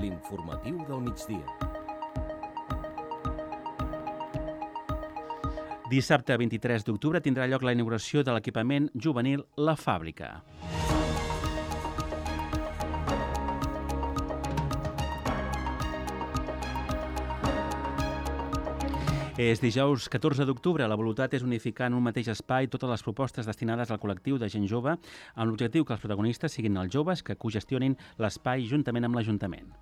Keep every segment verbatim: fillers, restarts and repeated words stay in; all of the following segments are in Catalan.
L'informatiu del migdia. Dissabte vint-i-tres d'octubre tindrà lloc la inauguració de l'equipament juvenil La Fàbrica. És dijous catorze d'octubre. La voluntat és unificar en un mateix espai totes les propostes destinades al col·lectiu de gent jove amb l'objectiu que els protagonistes siguin els joves que cogestionin l'espai juntament amb l'Ajuntament.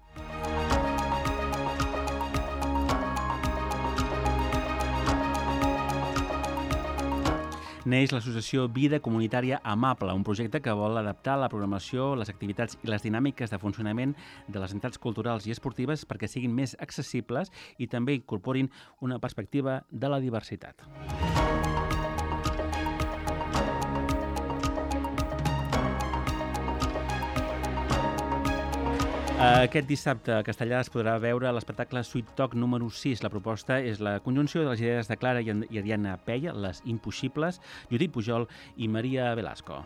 Neix l'associació Vida Comunitària Amable, un projecte que vol adaptar la programació, les activitats i les dinàmiques de funcionament de les entitats culturals i esportives perquè siguin més accessibles i també incorporin una perspectiva de la diversitat. Aquest dissabte a Castellà es podrà veure l'espectacle Sweet Talk número sis. La proposta és la conjunció de les idees de Clara i Ariadna Peia, les impossibles, Judit Pujol i Maria Velasco.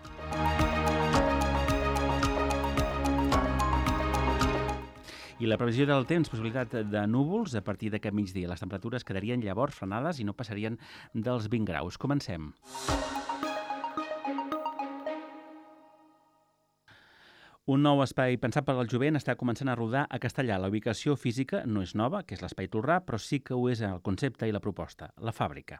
I la previsió del temps, possibilitat de núvols a partir d'aquest migdia. Les temperatures quedarien llavors frenades i no passarien dels vint graus. Comencem. Un nou espai pensat per al jovent està començant a rodar a Castellà. La ubicació física no és nova, que és l'Espai Tolrà, però sí que ho és el concepte i la proposta, La Fàbrica.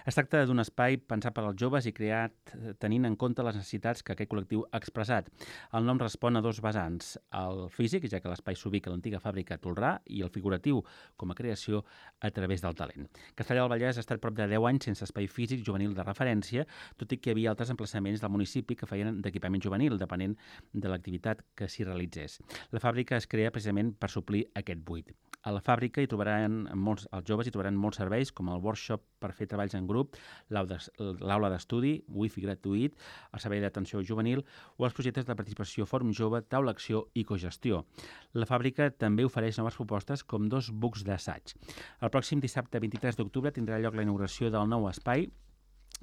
Es tracta d'un espai pensat per als joves i creat tenint en compte les necessitats que aquest col·lectiu ha expressat. El nom respon a dos vessants, el físic, ja que l'espai s'ubica a l'antiga fàbrica Tolrà, i el figuratiu, com a creació a través del talent. Castellà del Vallès ha estat prop de deu anys sense espai físic juvenil de referència, tot i que hi havia altres emplaçaments del municipi que feien d'equipament juvenil, depenent de l'activitat que s'hi realitzés. La fàbrica es crea precisament per suplir aquest buit. A la fàbrica hi trobaran molts, els joves hi trobaran molts serveis, com el workshop per fer treballs en grup, l'aula d'estudi, wifi gratuït, el servei d'atenció juvenil o els projectes de participació Fòrum Jove, taula acció i cogestió. La fàbrica també ofereix noves propostes com dos bucs d'assaig. El pròxim dissabte vint-i-tres d'octubre tindrà lloc la inauguració del nou espai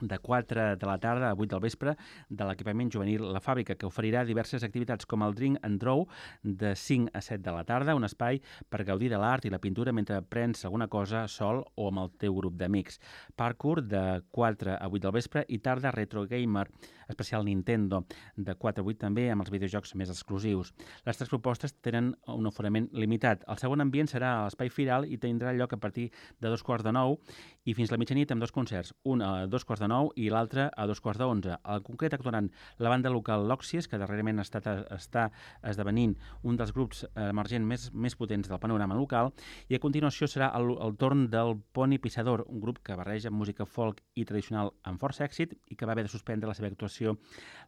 de quatre de la tarda a vuit del vespre de l'equipament juvenil La Fàbrica, que oferirà diverses activitats com el Drink and Draw de cinc a set de la tarda, un espai per gaudir de l'art i la pintura mentre prens alguna cosa sol o amb el teu grup d'amics. Parkour de quatre a vuit del vespre i tarda Retro Gamer, especial Nintendo, de quatre a vuit també amb els videojocs més exclusius. Les tres propostes tenen un aforament limitat. El segon ambient serà a l'Espai Firal i tindrà lloc a partir de dos quarts de nou i fins la mitjanit amb dos concerts, un a dos quarts de nou i l'altre a dos quarts d'onze. En concret actuaran la banda local Lòxies, que darrerament ha estat, està esdevenint un dels grups emergents més, més potents del panorama local, i a continuació serà el, el torn del Poni Pissador, un grup que barreja música folk i tradicional amb força èxit i que va haver de suspendre la seva actuació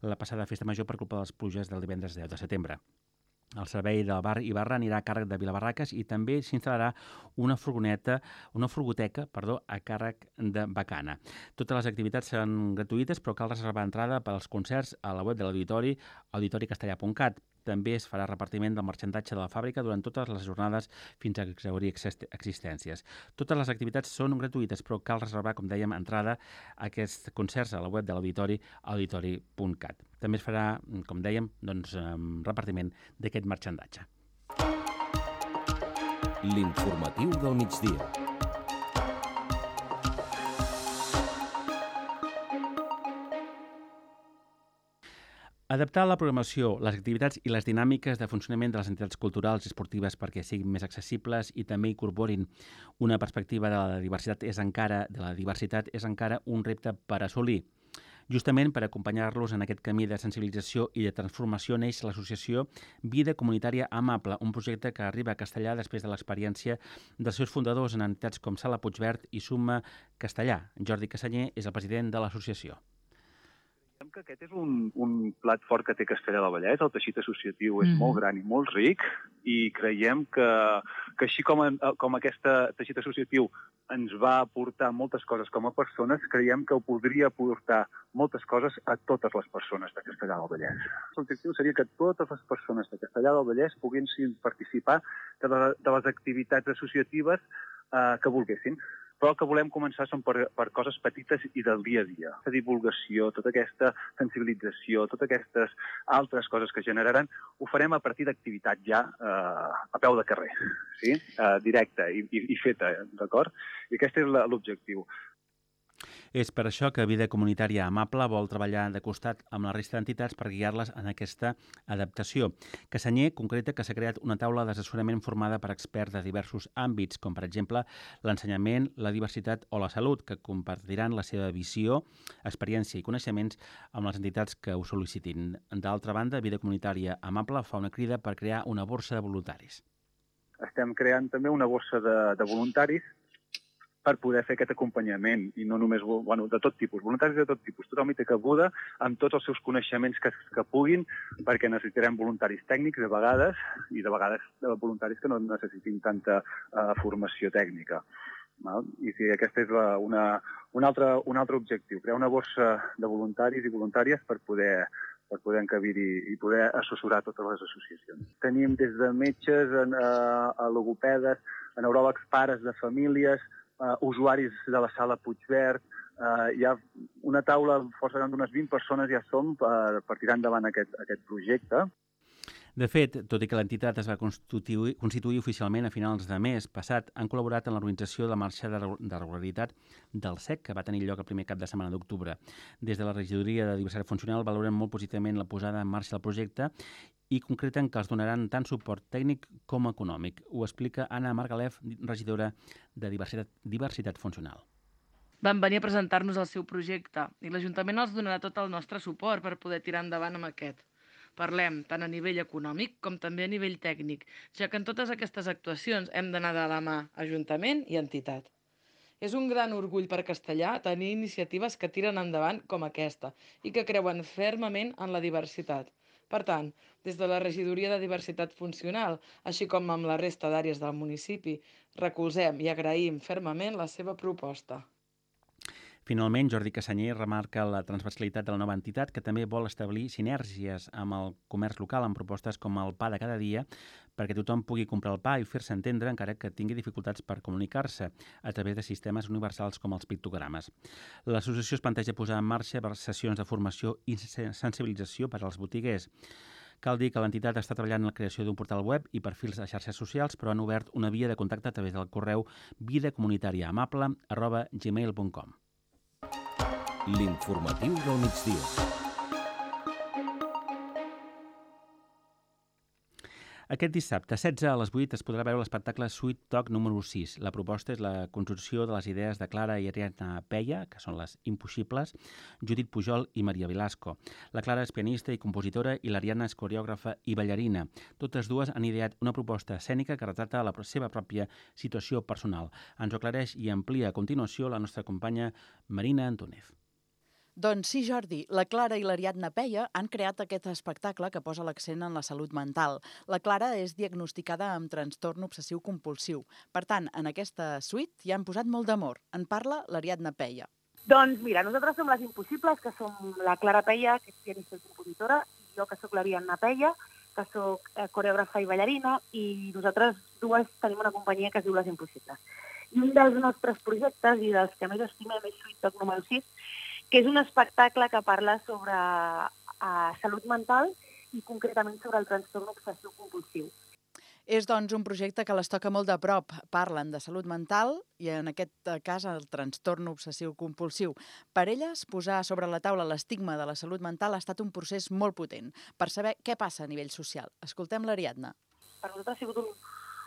la passada festa major per culpa de les pluges del divendres deu de setembre. El servei del bar i barra anirà a càrrec de Vilabarraques i també s'instal·larà una furgoneta, una furgoteca, perdó, a càrrec de Bacana. Totes les activitats seran gratuïtes, però cal reservar entrada per als concerts a la web de l'auditori, auditori castellà punt cat. També es farà repartiment del marxandatge de la fàbrica durant totes les jornades fins a exhaurir existències. Totes les activitats són gratuïtes, però cal reservar, com dèiem, entrada a aquests concerts a la web de l'auditori, auditori punt cat. També es farà, com dèiem, doncs, repartiment d'aquest marxandatge. L'informatiu del migdia. Adaptar la programació, les activitats i les dinàmiques de funcionament de les entitats culturals i esportives perquè siguin més accessibles i també incorporin una perspectiva de la diversitat és encara de la diversitat és encara un repte per assolir. Justament per acompanyar-los en aquest camí de sensibilització i de transformació neix l'associació Vida Comunitària Amable, un projecte que arriba a Castellà després de l'experiència dels seus fundadors en entitats com Sala Puigverd i Suma Castellà. Jordi Cassanyer és el president de l'associació. Que aquest és un, un plat fort que té Castellà del Vallès. El teixit associatiu és mm. molt gran i molt ric i creiem que, que així com, com aquest teixit associatiu ens va aportar moltes coses com a persones, creiem que ho podria aportar moltes coses a totes les persones de Castellà del Vallès. L'objectiu seria que totes les persones de Castellà del Vallès poguessin participar de, la, de les activitats associatives eh, que volguessin. però el que volem començar són per, per coses petites i del dia a dia. La divulgació, tota aquesta sensibilització, totes aquestes altres coses que generaran, ho farem a partir d'activitat ja eh, a peu de carrer, sí? eh, directa i, i, i feta, d'acord? I aquest és l'objectiu. És per això que Vida Comunitària Amable vol treballar de costat amb la resta d'entitats per guiar-les en aquesta adaptació. Cassanyer concreta que s'ha creat una taula d'assessorament formada per experts de diversos àmbits, com per exemple l'ensenyament, la diversitat o la salut, que compartiran la seva visió, experiència i coneixements amb les entitats que ho sol·licitin. D'altra banda, Vida Comunitària Amable fa una crida per crear una borsa de voluntaris. Estem creant també una borsa de, de voluntaris per poder fer aquest acompanyament, i no només, bueno, de tot tipus, voluntaris de tot tipus. Tothom hi té cabuda amb tots els seus coneixements que, que puguin, perquè necessitarem voluntaris tècnics de vegades, i de vegades voluntaris que no necessitin tanta uh, formació tècnica. Val? I sí, aquest és la, una, un, altre, un altre objectiu, crear una borsa de voluntaris i voluntàries per poder per poder encabir-hi i poder assessorar totes les associacions. Tenim des de metges, a, a logopedes, a neuròlegs, pares de famílies, Uh, usuaris de la sala Puigverd, uh, hi ha una taula força gran d'unes vint persones ja som per, per tirar endavant aquest, aquest projecte. De fet, tot i que l'entitat es va constituir, constituir oficialment a finals de mes passat, han col·laborat en l'organització de la marxa de, de regularitat del S E C, que va tenir lloc el primer cap de setmana d'octubre. Des de la regidoria de diversitat funcional valoren molt positivament la posada en marxa del projecte i concreten que els donaran tant suport tècnic com econòmic. Ho explica Anna Margalef, regidora de diversitat, diversitat funcional. Van venir a presentar-nos el seu projecte i l'Ajuntament els donarà tot el nostre suport per poder tirar endavant amb aquest. Parlem tant a nivell econòmic com també a nivell tècnic, ja que en totes aquestes actuacions hem d'anar de la mà Ajuntament i entitat. És un gran orgull per Castellà tenir iniciatives que tiren endavant com aquesta i que creuen fermament en la diversitat. Per tant, des de la Regidoria de Diversitat Funcional, així com amb la resta d'àrees del municipi, recolzem i agraïm fermament la seva proposta. Finalment, Jordi Cassanyer remarca la transversalitat de la nova entitat, que també vol establir sinergies amb el comerç local amb propostes com el pa de cada dia, perquè tothom pugui comprar el pa i fer-se entendre encara que tingui dificultats per comunicar-se a través de sistemes universals com els pictogrames. L'associació es planteja posar en marxa sessions de formació i sensibilització per als botiguers. Cal dir que l'entitat està treballant en la creació d'un portal web i perfils a xarxes socials, però han obert una via de contacte a través del correu vidacomunitariaamable arroba gmail punt com. L'informatiu del migdia. Aquest dissabte, setze a les vuit, es podrà veure l'espectacle Sweet Talk número sis. La proposta és la construcció de les idees de Clara i Ariadna Peya, que són les impossibles, Judit Pujol i Maria Velasco. La Clara és pianista i compositora i l'Ariadna és coreògrafa i ballarina. Totes dues han ideat una proposta escènica que retrata la seva pròpia situació personal. Ens ho aclareix i amplia a continuació la nostra companya Marina Antúnez. Doncs sí, Jordi, la Clara i l'Ariadna Peya han creat aquest espectacle que posa l'accent en la salut mental. La Clara és diagnosticada amb trastorn obsessiu-compulsiu. Per tant, en aquesta suite hi han posat molt d'amor. En parla l'Ariadna Peya. Doncs mira, nosaltres som les impossibles, que som la Clara Peya, que és pianista i compositora, i jo que sóc l'Ariadna Peya, que sóc coreògrafa i ballarina, i nosaltres dues tenim una companyia que es diu Les Impossibles. I un dels nostres projectes i dels que més estimem és Sweet Talk número sis, que és un espectacle que parla sobre uh, salut mental i concretament sobre el trastorn obsessiu-compulsiu. És, doncs, un projecte que les toca molt de prop. Parlen de salut mental i, en aquest cas, el trastorn obsessiu-compulsiu. Per elles, posar sobre la taula l'estigma de la salut mental ha estat un procés molt potent per saber què passa a nivell social. Escoltem l'Ariadna. Per nosaltres ha sigut un,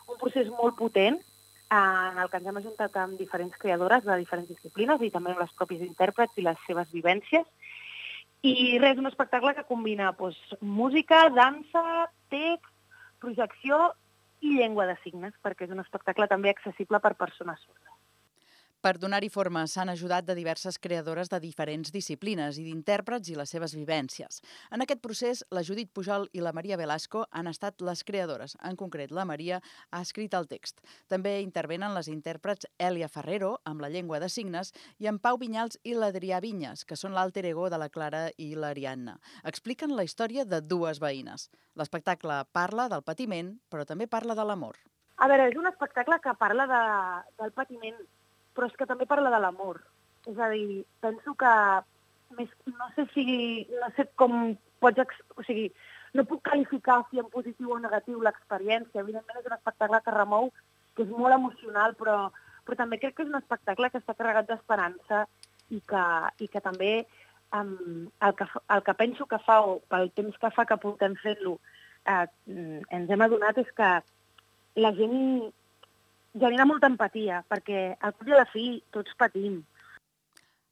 un procés molt potent en el que ens hem ajuntat amb diferents creadores de diferents disciplines i també amb les pròpies intèrprets i les seves vivències. I res, un espectacle que combina doncs, música, dansa, text, projecció i llengua de signes, perquè és un espectacle també accessible per persones sordes. Per donar-hi forma s'han ajudat de diverses creadores de diferents disciplines i d'intèrprets i les seves vivències. En aquest procés, la Judit Pujol i la Maria Velasco han estat les creadores. En concret, la Maria ha escrit el text. També intervenen les intèrprets Èlia Ferrero, amb la llengua de signes, i en Pau Vinyals i l'Adrià Vinyes, que són l'alter ego de la Clara i l'Ariadna. Expliquen la història de dues veïnes. L'espectacle parla del patiment, però també parla de l'amor. A veure, és un espectacle que parla de, del patiment però és que també parla de l'amor. És a dir, penso que més, no sé si, no sé com pots, o sigui, no puc qualificar si en positiu o negatiu l'experiència. Evidentment és un espectacle que remou, que és molt emocional, però, però també crec que és un espectacle que està carregat d'esperança i que, i que també um, el, que, el que penso que fa, o pel temps que fa que portem fent-lo, eh, ens hem adonat és que la gent genera molta empatia, perquè al cap i a la fi tots patim.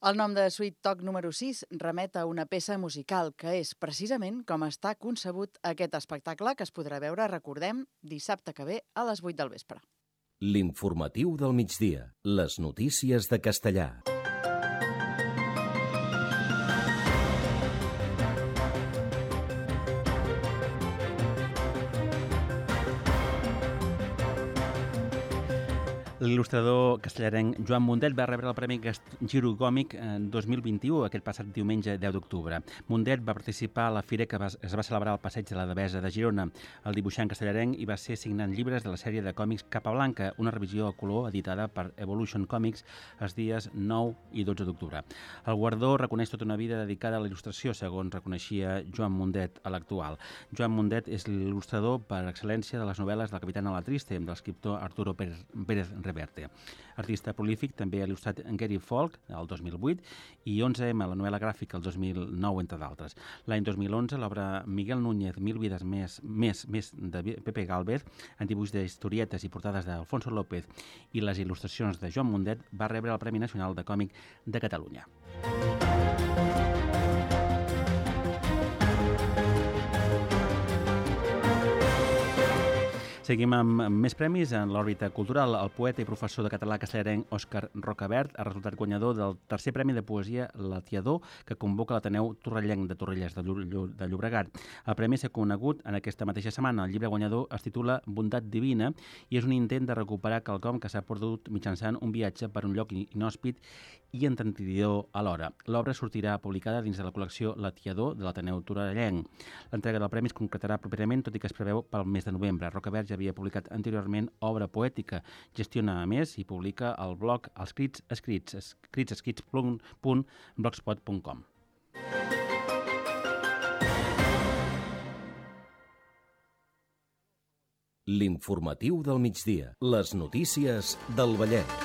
El nom de Sweet Talk número sis remet a una peça musical, que és precisament com està concebut aquest espectacle, que es podrà veure, recordem, dissabte que ve a les vuit del vespre. L'informatiu del migdia. Les notícies de Castellà. L'il·lustrador castellarenc Joan Mundet va rebre el Premi Giro Còmic dos mil vint-i-u, aquest passat diumenge deu d'octubre. Mundet va participar a la fira que es va celebrar al Passeig de la Devesa de Girona. El dibuixant castellarenc hi va ser signant llibres de la sèrie de còmics Capa Blanca, una revisió a color editada per Evolution Comics els dies nou i dotze d'octubre. El guardó reconeix tota una vida dedicada a la il·lustració, segons reconeixia Joan Mundet a l'actual. Joan Mundet és l'il·lustrador per excel·lència de les novel·les del Capitán a la Triste, de l'escriptor Arturo Pérez Reverte. Artista prolífic, també ha il·lustrat Gary Folk, el dos mil vuit, i onze eme, la novel·la gràfica, el dos mil nou, entre d'altres. L'any dos mil onze, l'obra Miguel Núñez, Mil vides més, més, més de Pepe Gálvez, en dibuix d'historietes i portades d'Alfonso López, i les il·lustracions de Joan Mundet, va rebre el Premi Nacional de Còmic de Catalunya. Seguim amb més premis. En l'òrbita cultural, el poeta i professor de català castellarenc Òscar Rocabert ha resultat guanyador del tercer premi de poesia Latiador, que convoca l'Ateneu Torrellenc de Torrelles de, Llo de Llobregat. El premi s'ha conegut en aquesta mateixa setmana. El llibre guanyador es titula Bondat divina i és un intent de recuperar quelcom que s'ha perdut mitjançant un viatge per un lloc inhòspit i entretidor alhora. L'obra sortirà publicada dins de la col·lecció Latiador de l'Ateneu Torrellenc. L'entrega del premi es concretarà properament, tot i que es preveu pel mes de novembre. Rocabert ja havia publicat anteriorment obra poètica. Gestiona, a més, i publica el blog Els Crits Escrits, escrits escrits punt blogspot punt com. L'informatiu del migdia. Les notícies del Vallès.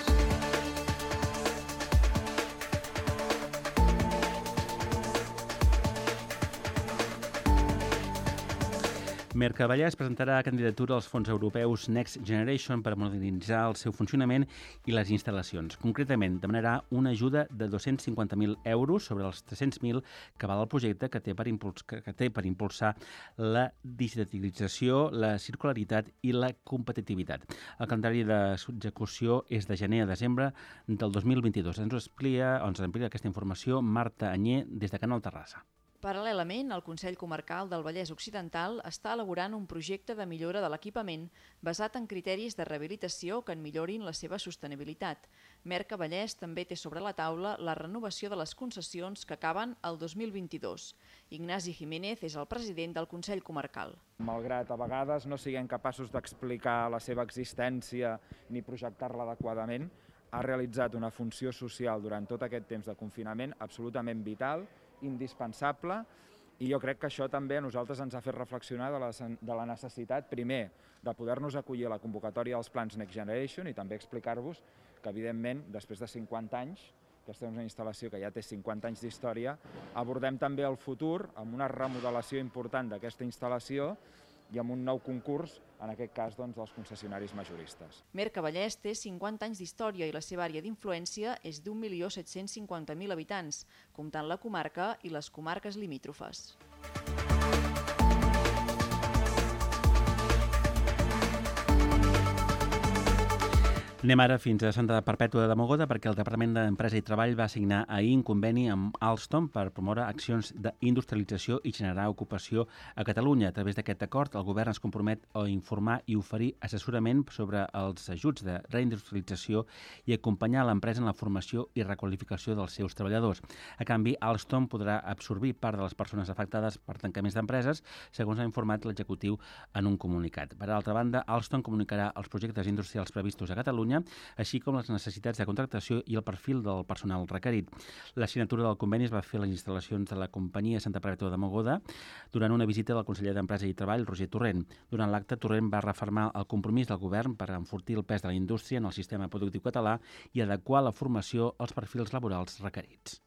Mercavallès presentarà candidatura als fons europeus Next Generation per modernitzar el seu funcionament i les instal·lacions. Concretament, demanarà una ajuda de dos-cents cinquanta mil euros sobre els tres-cents mil que val el projecte que té per, impuls que té per impulsar la digitalització, la circularitat i la competitivitat. El calendari d'execució és de gener a desembre del dos mil vint-i-dos. Ens ho explica, ens amplia aquesta informació Marta Anyé des de Canal Terrassa. Paral·lelament, el Consell Comarcal del Vallès Occidental està elaborant un projecte de millora de l'equipament basat en criteris de rehabilitació que en millorin la seva sostenibilitat. Mercavallès també té sobre la taula la renovació de les concessions que acaben el dos mil vint-i-dos. Ignasi Jiménez és el president del Consell Comarcal. Malgrat a vegades no siguem capaços d'explicar la seva existència ni projectar-la adequadament, ha realitzat una funció social durant tot aquest temps de confinament absolutament vital, indispensable, i jo crec que això també a nosaltres ens ha fet reflexionar de la, de la necessitat, primer, de poder-nos acollir a la convocatòria dels plans Next Generation i també explicar-vos que, evidentment, després de cinquanta anys, aquesta és una instal·lació que ja té cinquanta anys d'història, abordem també el futur amb una remodelació important d'aquesta instal·lació i amb un nou concurs, en aquest cas, doncs, dels concessionaris majoristes. Mercavallès té cinquanta anys d'història i la seva àrea d'influència és d'un milió set-cents cinquanta mil habitants, comptant la comarca i les comarques limítrofes. Anem ara fins a Santa Perpètua de Mogoda perquè el Departament d'Empresa i Treball va signar ahir un conveni amb Alstom per promoure accions d'industrialització i generar ocupació a Catalunya. A través d'aquest acord, el govern es compromet a informar i oferir assessorament sobre els ajuts de reindustrialització i acompanyar l'empresa en la formació i requalificació dels seus treballadors. A canvi, Alstom podrà absorbir part de les persones afectades per tancaments d'empreses, segons ha informat l'executiu en un comunicat. Per altra banda, Alstom comunicarà els projectes industrials previstos a Catalunya feina, així com les necessitats de contractació i el perfil del personal requerit. La signatura del conveni es va fer a les instal·lacions de la companyia Santa Perpètua de Mogoda durant una visita del conseller d'Empresa i Treball, Roger Torrent. Durant l'acte, Torrent va refermar el compromís del govern per enfortir el pes de la indústria en el sistema productiu català i adequar la formació als perfils laborals requerits.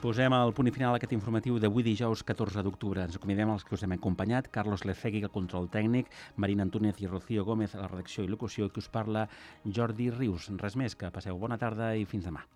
Posem el punt i final a aquest informatiu d'avui dijous catorze d'octubre. Ens acomiadem els que us hem acompanyat. Carlos Lecegui, el control tècnic, Marina Antúnez i Rocío Gómez a la redacció i locució, i que us parla Jordi Rius. Res més, que passeu bona tarda i fins demà.